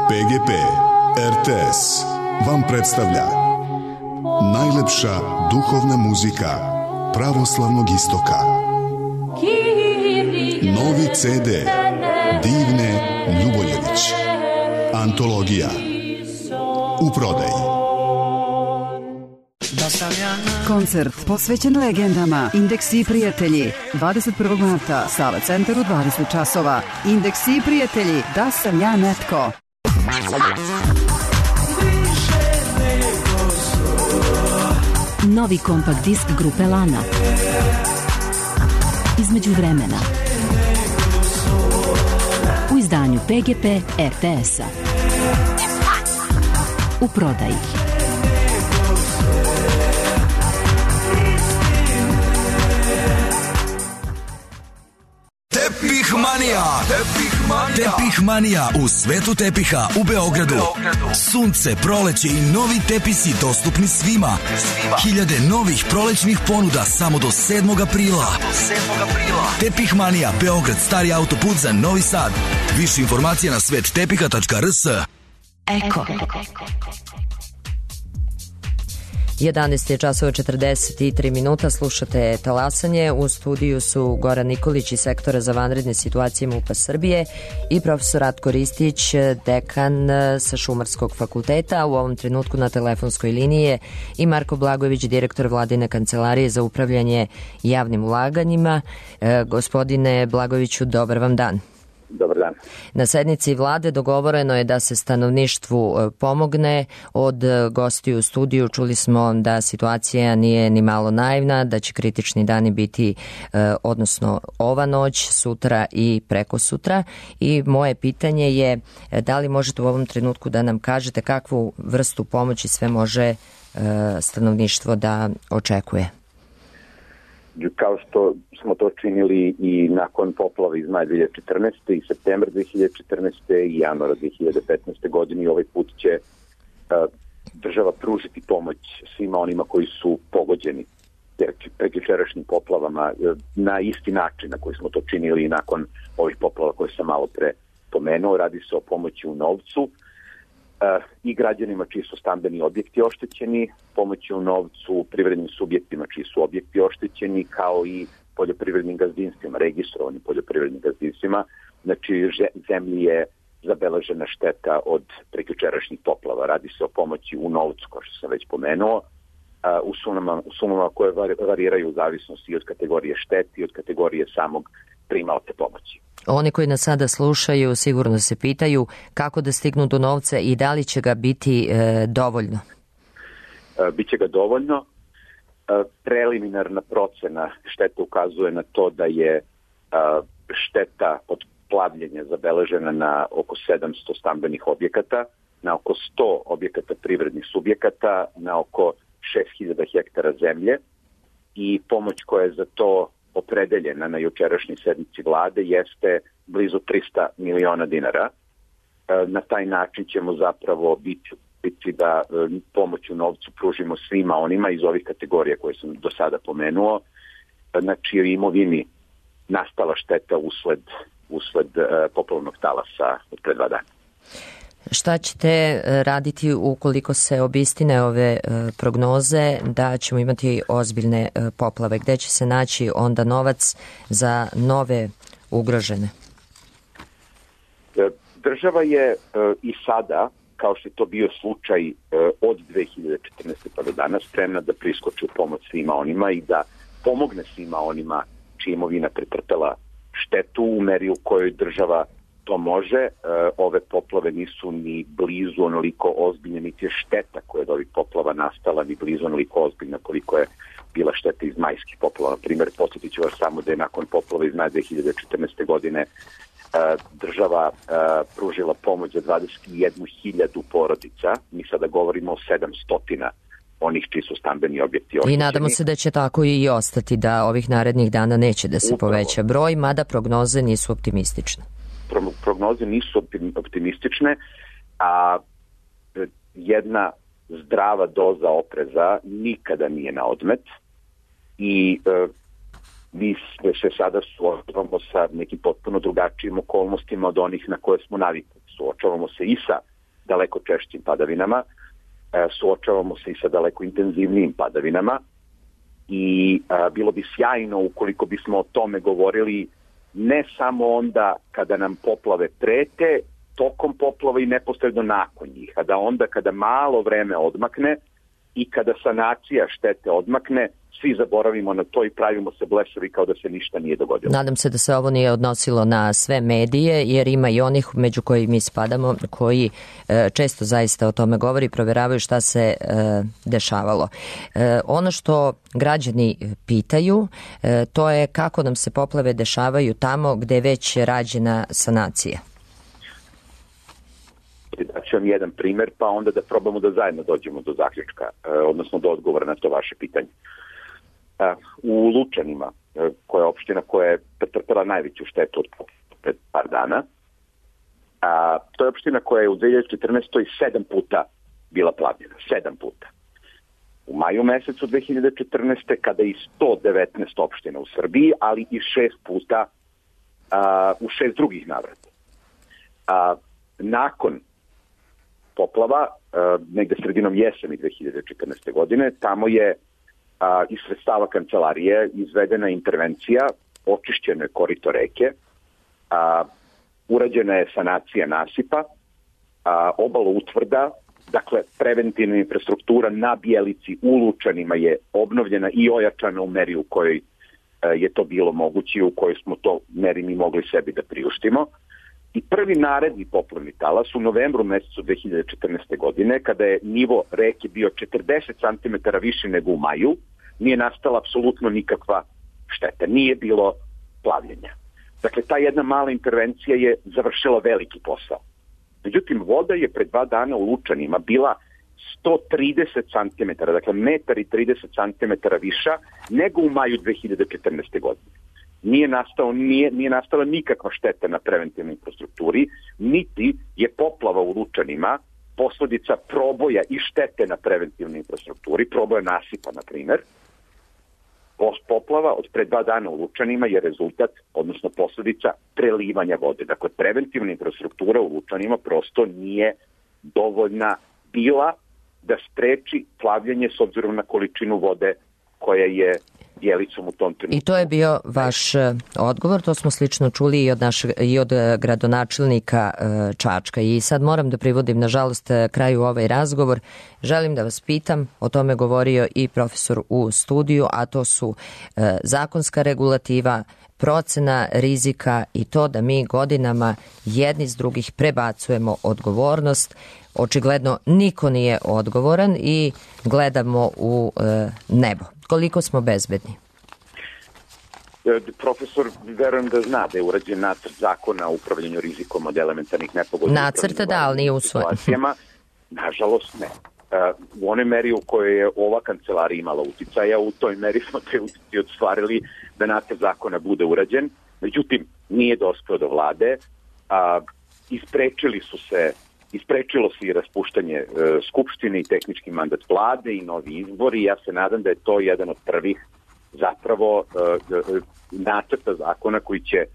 pe ge pe er te es vam predstavlja najlepša duhovna muzika pravoslavnog istoka. Novi ce de Divne Ljuboljević. Antologija. U prodaji. Koncert posvećen legendama. Indeksi i prijatelji. dvadeset prvog marta, Sala Centar u dvadeset časova. Indeksi i prijatelji. Da sam ja netko. Novi kompakt disk grupe Lana. Između vremena. U izdanju pe ge pe er te es-a. U prodaji. Tepih manija. Tepih manija. Tepih manija u svetu tepiha u Beogradu. Sunce, proleće i novi tepisi dostupni svima. Hiljade novih prolećnih ponuda samo do sedmog aprila. Tepih manija, Beograd, stari autoput za Novi Sad. Više informacija na svet tepiha tačka er es. Eko. jedanaest je časova četrdeset tri minuta, slušate talasanje. U studiju su Goran Nikolić iz sektora za vanredne situacije MUP-a Srbije i profesor Ratko Ristić, dekan sa Šumarskog fakulteta. U ovom trenutku na telefonskoj liniji je i Marko Blagojević, direktor Vladine kancelarije za upravljanje javnim ulaganjima. E, gospodine Blagojeviću, dobar vam dan. Dobar dan. Na sednici vlade dogovoreno je da se stanovništvu pomogne. Od gostiju u studiju čuli smo da situacija nije ni malo naivna, da će kritični dani biti, odnosno ova noć, sutra i preko sutra. I moje pitanje je da li možete u ovom trenutku da nam kažete kakvu vrstu pomoći sve može stanovništvo da očekuje? Kao što smo to činili i nakon poplava iz maja dve hiljade četrnaeste i septembra dve hiljade četrnaeste i januara dve hiljade petnaeste godine, i ovaj put će uh, država pružiti pomoć svima onima koji su pogođeni prekjučerašnjim poplavama na isti način na koji smo to činili i nakon ovih poplava koje sam malo pre pomenuo. Radi se o pomoći u novcu i građanima čiji su stambeni objekti oštećeni, pomoći u novcu privrednim subjektima čiji su objekti oštećeni, kao i poljoprivrednim gazdinstvima, registrovanim poljoprivrednim gazdinstvima. Znači, zemlji je zabeležena šteta od prekjučerašnjih poplava. Radi se o pomoći u novcu, kao što sam već pomenuo, u sumama, u sumama koje variraju u zavisnosti i od kategorije šteti i od kategorije samog primaoca pomoći. Oni koji nas sada slušaju sigurno se pitaju kako da stignu do novca i da li će ga biti e, dovoljno? E, biće ga dovoljno. E, preliminarna procena štete ukazuje na to da je e, šteta od plavljenja zabeležena na oko sedamsto stambenih objekata, na oko sto objekata privrednih subjekata, na oko šest hiljada hektara zemlje i pomoć koja je za to opredeljena na jučerašnjoj sednici vlade jeste blizu trista miliona dinara. Na taj način ćemo zapravo biti, biti da pomoć u novcu pružimo svima onima iz ovih kategorija koje sam do sada pomenuo, na čijoj imovini nastala šteta usled, usled poplavnog talasa od pre dva dana. Šta ćete raditi ukoliko se obistine ove prognoze da ćemo imati ozbiljne poplave? Gde će se naći onda novac za nove ugrožene? Država je i sada, kao što je to bio slučaj od dve hiljade četrnaeste. pa do danas, spremna da priskoči u pomoć svima onima i da pomogne svima onima čija imovina pretrpela štetu u meri u kojoj država to može. Ove poplave nisu ni blizu onoliko ozbiljne, niti je šteta koja je od ovih poplava nastala ni blizu onoliko ozbiljna koliko je bila šteta iz majskih poplava. Na primjer, posjetit ću vas samo da je nakon poplava iz maja dve hiljade četrnaeste. godine država pružila pomoć za dvadeset jednu hiljadu porodica. Mi sada govorimo o sedamsto onih čiji su stambeni objekti oštećeni. I nadamo se da će tako i ostati, da ovih narednih dana neće da se Upravo. poveća broj, mada prognoze nisu optimistične. Pro, prognoze nisu optimistične, a jedna zdrava doza opreza nikada nije na odmet i e, mi se sada suočavamo sa nekim potpuno drugačijim okolnostima od onih na koje smo navikli. Suočavamo se i sa daleko češćim padavinama, suočavamo se i sa daleko intenzivnijim padavinama i a, bilo bi sjajno ukoliko bismo o tome govorili ne samo onda kada nam poplave prete, tokom poplava i neposredno nakon njih, a da onda kada malo vreme odmakne i kada sanacija štete odmakne, svi zaboravimo na to i pravimo se blesavi kao da se ništa nije dogodilo. Nadam se da se ovo nije odnosilo na sve medije, jer ima i onih među koji mi spadamo, koji e, često zaista o tome govori i proveravaju šta se e, dešavalo. E, ono što građani pitaju, e, to je kako nam se poplave dešavaju tamo gde je već rađena sanacija. Daću vam jedan primer, pa onda da probamo da zajedno dođemo do zaključka, e, odnosno do odgovora na to vaše pitanje. U Lučanima, koja je opština koja je pretrpela najveću štetu od pred par dana, a, to je opština koja je u dve hiljade četrnaestoj. sedam puta bila plavljena. Sedam puta. U maju mesecu dve hiljade četrnaeste. kada i sto devetnaest opština u Srbiji, ali i šest puta a, u šest drugih navrata. A, nakon poplava, a, negde sredinom jeseni dve hiljade četrnaeste. godine, tamo je A, iz sredstava kancelarije izvedena intervencija, očišćeno je korito reke, a, urađena je sanacija nasipa, a, obalo utvrda, dakle preventivna infrastruktura na Bjelici u Lučanima je obnovljena i ojačana u meri u kojoj a, je to bilo moguće i u kojoj smo to meri mi mogli sebi da priuštimo. I prvi naredni poplavni talas u novembru mesecu dve hiljade četrnaeste. godine, kada je nivo reke bio četrdeset centimetara više nego u maju, nije nastala apsolutno nikakva šteta, nije bilo plavljenja. Dakle, ta jedna mala intervencija je završila veliki posao. Međutim, voda je pre dva dana u Lučanima bila sto trideset centimetara, dakle metar i trideset centimetara viša nego u maju dve hiljade četrnaeste. godine. Nije, nastao, nije, nije nastala nikakva šteta na preventivnoj infrastrukturi, niti je poplava u Lučanima posledica proboja i štete na preventivnoj infrastrukturi, proboja nasipa, na primer. Poplava od pre dva dana u Lučanima je rezultat, odnosno posledica prelivanja vode. Dakle, preventivna infrastruktura u Lučanima prosto nije dovoljna bila da spreči plavljenje s obzirom na količinu vode koja je Bjelicom u tom trenutku. I to je bio vaš odgovor, to smo slično čuli i od, našeg, i od gradonačelnika Čačka. I sad moram da privodim, nažalost, kraju ovaj razgovor. Želim da vas pitam, o tome govorio i profesor u studiju, a to su zakonska regulativa, procena rizika i to da mi godinama jedni s drugih prebacujemo odgovornost. Očigledno niko nije odgovoran i gledamo u e, nebo. Koliko smo bezbedni? Profesor, verujem da zna da je urađen nacrt zakona o upravljanju rizikom od elementarnih nepogoda. Nacrta da, ali nije usvojen. Nažalost ne. U onoj meri u kojoj je ova kancelarija imala uticaja, u toj meri smo te utici ostvarili da nacrt zakona bude urađen. Međutim, nije dospeo do vlade. A, isprečili su se, isprečilo se i raspuštanje e, skupštine i tehnički mandat vlade i novi izbori. Ja se nadam da je to jedan od prvih zapravo e, nacrta zakona koji će e,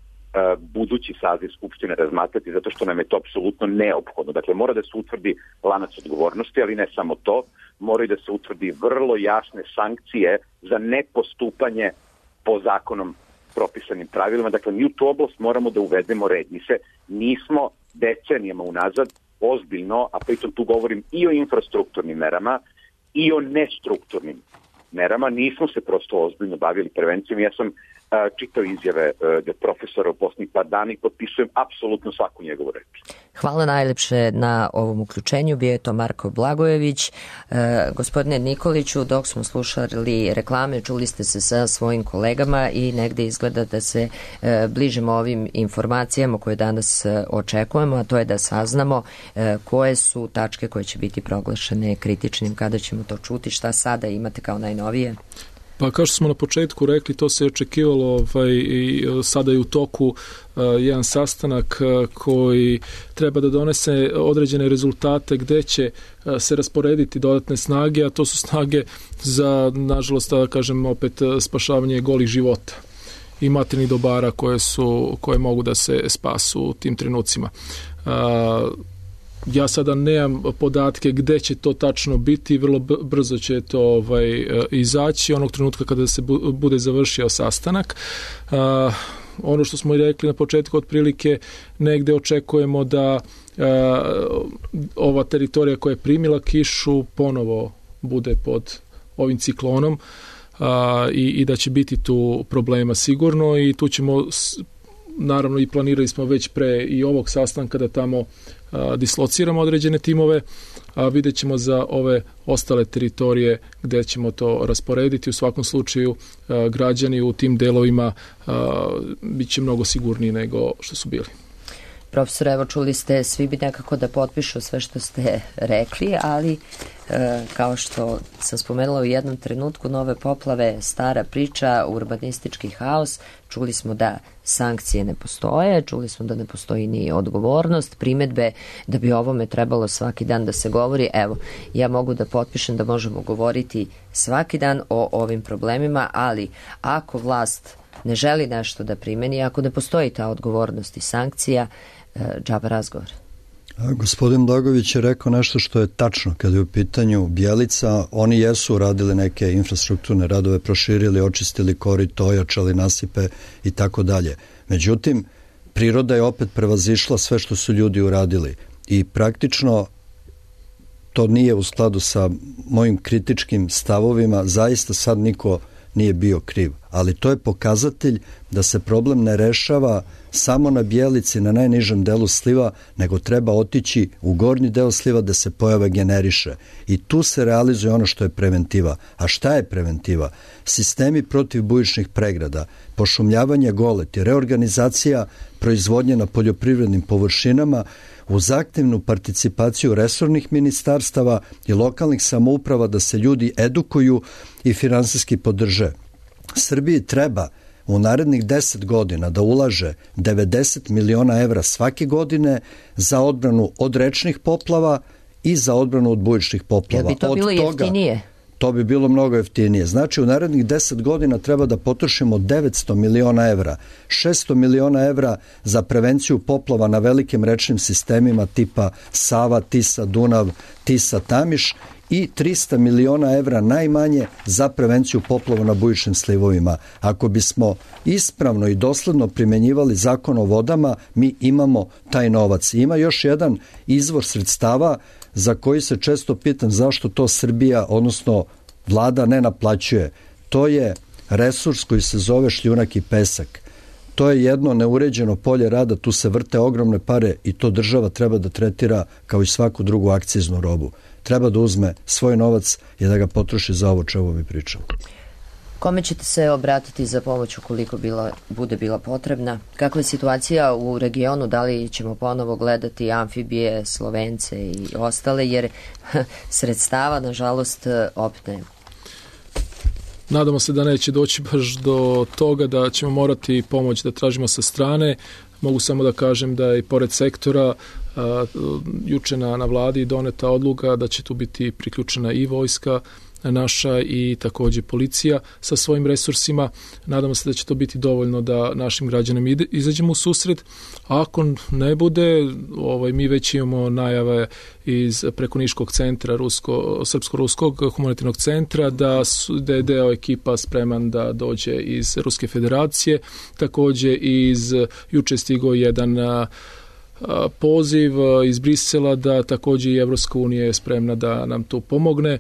budući saziv skupštine razmatrati, zato što nam je to apsolutno neophodno. Dakle, mora da se utvrdi lanac odgovornosti, ali ne samo to, mora i da se utvrdi vrlo jasne sankcije za nepostupanje po zakonom propisanim pravilima. Dakle, mi u tu oblast moramo da uvedemo red. Mi se nismo decenijama unazad ozbiljno, a pritom tu govorim i o infrastrukturnim merama i o nestrukturnim merama, nismo se prosto ozbiljno bavili prevencijom. Ja sam uh, čitao izjave uh, profesora u posljednjih par dana i potpisujem apsolutno svaku njegovu reč. Hvala najlepše na ovom uključenju. Bio je to Marko Blagojević. Uh, gospodine Nikoliću, dok smo slušali reklame, čuli ste se sa svojim kolegama i negde izgleda da se uh, bližimo ovim informacijama koje danas uh, očekujemo, a to je da saznamo uh, koje su tačke koje će biti proglašene kritičnim, kada ćemo to čuti, šta sada imate kao najnovije? Pa kao što smo na početku rekli, to se je očekivalo ovaj, i sada je u toku uh, jedan sastanak uh, koji treba da donese određene rezultate gde će uh, se rasporediti dodatne snage, a to su snage za, nažalost, da kažem opet, spašavanje golih života i materijalnih dobara koje, su, koje mogu da se spasu u tim trenucima. Uh, Ja sada nemam podatke gde će to tačno biti, vrlo brzo će to ovaj, izaći onog trenutka kada se bude završio sastanak. Uh, ono što smo i rekli na početku, otprilike negde očekujemo da uh, ova teritorija koja je primila kišu ponovo bude pod ovim ciklonom uh, i, i da će biti tu problema sigurno i tu ćemo, naravno i planirali smo već pre i ovog sastanka da tamo a, dislociramo određene timove, a vidjet ćemo za ove ostale teritorije gde ćemo to rasporediti. U svakom slučaju a, građani u tim delovima a, bit će mnogo sigurniji nego što su bili. Profesor, evo čuli ste, svi bi nekako da potpišu sve što ste rekli, ali e, kao što sam spomenula u jednom trenutku, nove poplave, stara priča, urbanistički haos, čuli smo da sankcije ne postoje, čuli smo da ne postoji ni odgovornost, primetbe da bi o ovome trebalo svaki dan da se govori. Evo, ja mogu da potpišem da možemo govoriti svaki dan o ovim problemima, ali ako vlast ne želi nešto da primeni, ako ne postoji ta odgovornost i sankcija, džaba razgovor. Gospodin Blagojević je rekao nešto što je tačno kada je u pitanju Bjelica. Oni jesu uradili neke infrastrukturne radove, proširili, očistili korito, ojačali nasipe i tako dalje. Međutim, priroda je opet prevazišla sve što su ljudi uradili i praktično to nije u skladu sa mojim kritičkim stavovima. Zaista sad niko nije bio kriv, ali to je pokazatelj da se problem ne rešava samo na Bjelici, na najnižem delu sliva, nego treba otići u gornji deo sliva da se pojava generiše. I tu se realizuje ono što je preventiva. A šta je preventiva? Sistemi protiv bujičnih pregrada, pošumljavanje goleti, reorganizacija proizvodnje na poljoprivrednim površinama, uz aktivnu participaciju resornih ministarstava i lokalnih samouprava da se ljudi edukuju i finansijski podrže. Srbiji treba u narednih deset godina da ulaže devedeset miliona evra svake godine za odbranu od rečnih poplava i za odbranu od bujičnih poplava. Jel bi to bilo jeftinije? To bi bilo mnogo jeftinije. Znači, u narednih deset godina treba da potrošimo devetsto miliona evra, šesto miliona evra za prevenciju poplava na velikim rečnim sistemima tipa Sava, Tisa, Dunav, Tisa, Tamiš i trista miliona evra najmanje za prevenciju poplava na bujičnim slivovima. Ako bismo ispravno i dosledno primenjivali zakon o vodama, mi imamo taj novac. Ima još jedan izvor sredstava za koji se često pitam zašto to Srbija, odnosno vlada, ne naplaćuje. To je resurs koji se zove šljunak i pesak. To je jedno neuređeno polje rada, tu se vrte ogromne pare i to država treba da tretira kao i svaku drugu akciznu robu. Treba da uzme svoj novac i da ga potroši za ovo čemu mi pričamo. Kome ćete se obratiti za pomoć ukoliko bila, bude bila potrebna? Kakva je situacija u regionu? Da li ćemo ponovo gledati amfibije, Slovence i ostale, jer sredstava, nažalost, opet nema? Nadamo se da neće doći baš do toga da ćemo morati pomoć da tražimo sa strane. Mogu samo da kažem da je i pored sektora a, juče na, na vladi doneta odluka da će tu biti priključena i vojska naša i takođe policija sa svojim resursima. Nadamo se da će to biti dovoljno da našim građanima ide, izađemo u susret. A ako ne bude, ovaj, mi već imamo najave iz preko Niškog centra, Rusko, Srpsko-Ruskog humanitarnog centra, da, su, da je deo ekipa spreman da dođe iz Ruske federacije. Takođe iz juče stigao jedan poziv iz Brisela da takođe i Evropska unija je spremna da nam tu pomogne.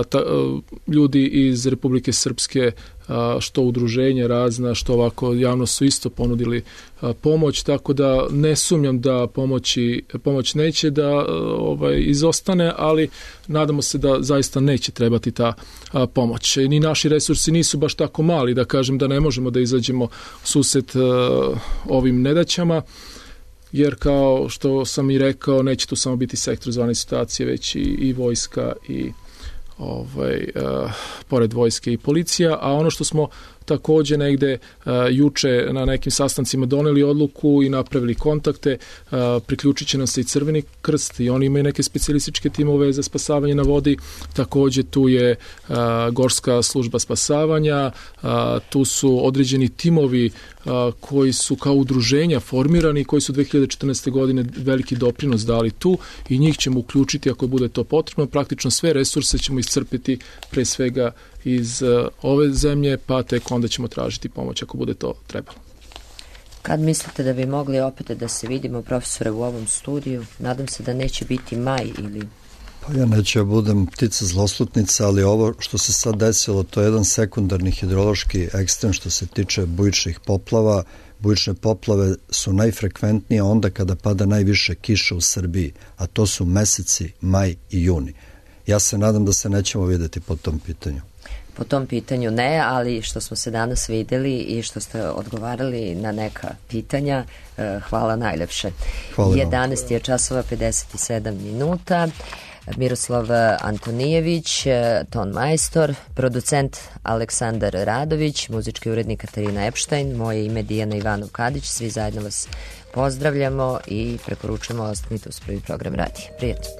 Ta, ljudi iz Republike Srpske, što udruženje razna, što ovako javno su isto ponudili pomoć, tako da ne sumnjam da pomoći, pomoć neće da ovaj, izostane, ali nadamo se da zaista neće trebati ta pomoć. Ni naši resursi nisu baš tako mali da kažem da ne možemo da izađemo u susret ovim nedaćama, jer kao što sam i rekao, neće tu samo biti sektor zvane situacije, već i, i vojska i ovaj, uh, pored vojske i policija, a ono što smo takođe negde uh, juče na nekim sastancima doneli odluku i napravili kontakte, uh, priključit će nam se i Crveni krst i oni imaju neke specijalističke timove za spasavanje na vodi, takođe tu je uh, Gorska služba spasavanja, uh, tu su određeni timovi uh, koji su kao udruženja formirani, koji su dve hiljade četrnaeste. godine veliki doprinos dali tu i njih ćemo uključiti ako bude to potrebno. Praktično sve resurse ćemo iscrpiti pre svega iz uh, ove zemlje, pa tek onda ćemo tražiti pomoć ako bude to trebalo. Kad mislite da bi mogli opet da se vidimo, profesore, u ovom studiju? Nadam se da neće biti maj ili... Pa ja neću ja budem ptica zloslutnica, ali ovo što se sad desilo, to je jedan sekundarni hidrološki ekstrem što se tiče bujičnih poplava. Bujične poplave su najfrekventnije onda kada pada najviše kiše u Srbiji, a to su meseci maj i juni. Ja se nadam da se nećemo videti po tom pitanju. Po tom pitanju ne, ali što smo se danas videli i što ste odgovarali na neka pitanja, hvala najlepše. Hvala jedanaest je časova pedeset sedam minuta. Miroslav Antonijević, ton majstor, producent Aleksandar Radović, muzički urednik Katarina Epštajn, moje ime Dijana Ivanov-Kadić, svi zajedno vas pozdravljamo i preporučujemo ostanite uz prvi program radija. Prijatno.